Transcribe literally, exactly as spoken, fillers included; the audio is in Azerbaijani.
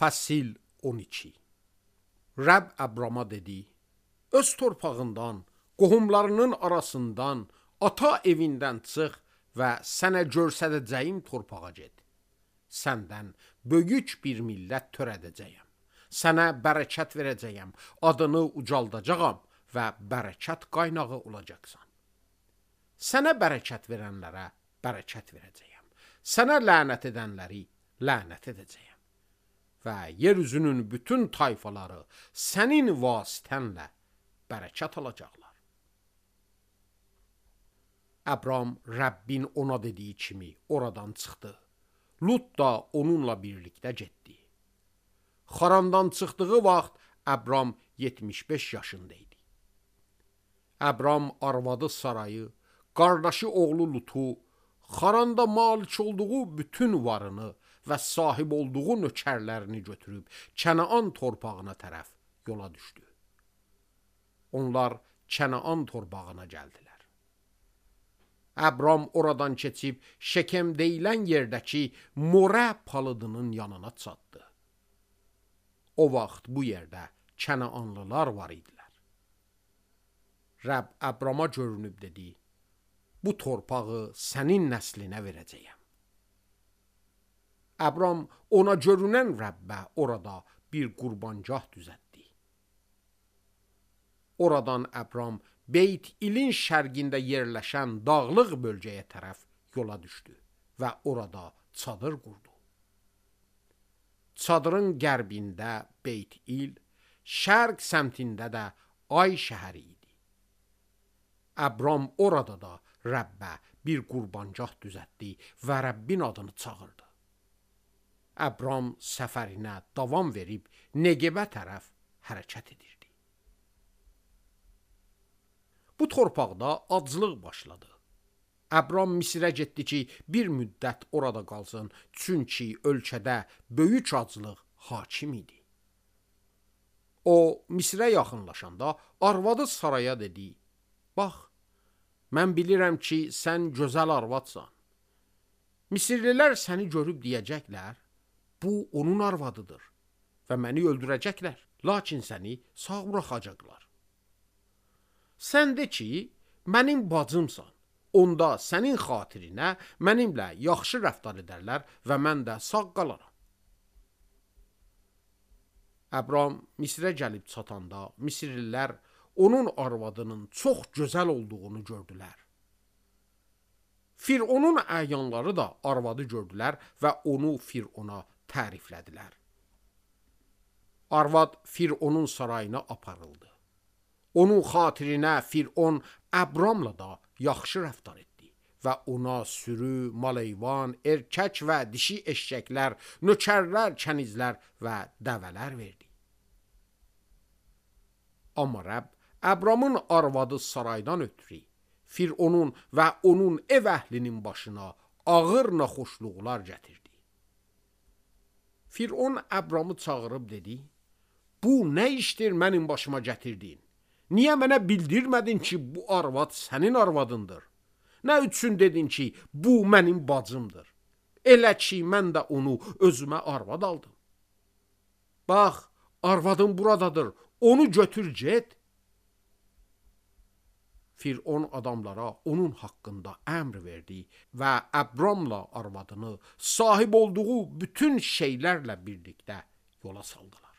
Fəsil on iki. Rəbb Əbrama dedi: öz torpağından, qohumlarının arasından, ata evindən çıx və sənə göstərəcəyim torpağa get. Səndən böyük bir millət törədəcəyəm. Sənə bərəkət verəcəyəm, adını ucaldacağam və bərəkət qaynağı olacaqsan. Sənə bərəkət verənlərə bərəkət verəcəyəm. Sənə lənət edənləri lənət edəcəyəm. Və yeryüzünün bütün tayfaları sənin vasitənlə bərəkət alacaqlar. Əbram Rəbbin ona dediyi kimi oradan çıxdı. Lut da onunla birlikdə getdi. Xarandan çıxdığı vaxt Əbram yetmiş beş yaşında idi. Əbram arvadı Sarayı, qardaşı oğlu Lutu, Xaranda malik olduğu bütün varını və sahib olduğu nökərlərini götürüb Kənaan torpağına tərəf yola düşdü. Onlar Kənaan torpağına gəldilər. Əbram oradan keçib Şekem deyilən yerdəki Morə palıdının yanına çatdı. O vaxt bu yerdə Kənaanlılar var idilər. Rəbb Əbrama görünüb dedi: bu torpağı sənin nəslinə verəcəyəm. Əbram ona görünən Rəbbə orada bir qurbancah düzəltdi. Oradan Əbram Beyt İlin şərqində yerləşən dağlıq bölgəyə tərəf yola düşdü və orada çadır qurdu. Çadırın qərbində Beyt İl, şərq səmtində də Ay şəhəri idi. Əbram orada da Rəbbə bir qurbancah düzəltdi və Rəbbin adını çağırdı. Əbram səfərinə davam verib Negebə tərəf hərəkət edirdi. Bu torpaqda aclıq başladı. Əbram Misirə getdi ki, bir müddət orada qalsın, çünki ölkədə böyük aclıq hakim idi. O, Misirə yaxınlaşanda arvadı Saraya dedi: bax, mən bilirəm ki, sən gözəl arvadsan. Misirlilər səni görüb deyəcəklər: bu onun arvadıdır və məni öldürəcəklər, lakin səni sağ buraxacaqlar. Sən de ki, mənim bacımsan, onda sənin xatirinə mənimlə yaxşı rəftar edərlər və mən də sağ qalaram. Əbram Misirə gəlib çatanda Misirlilər onun arvadının çox gözəl olduğunu gördülər. Fironun əyanları da arvadı gördülər və onu Firona təriflədilər. Arvad Fironun sarayına aparıldı. Onun xatirinə Firon Əbramla da yaxşı rəftar etdi və ona sürü, maleyvan, erkək və dişi eşşəklər, nökərlər, kənizlər və dəvələr verdi. Amma Rəbb Əbramın arvadı Saraydan ötürü Fironun və onun ev əhlinin başına ağır naxoşluqlar gətirdi. Firon Əbramı çağırıb dedi: bu nə işdir mənim başıma gətirdin? Niyə mənə bildirmədin ki, bu arvad sənin arvadındır? Nə üçün dedin ki, bu mənim bacımdır? Elə ki, mən də onu özümə arvad aldım. Bax, arvadım buradadır, onu götür get. Firon adamlara onun haqqında əmr verdi və Əbramla arvadını sahib olduğu bütün şeylərlə birlikdə yola saldılar.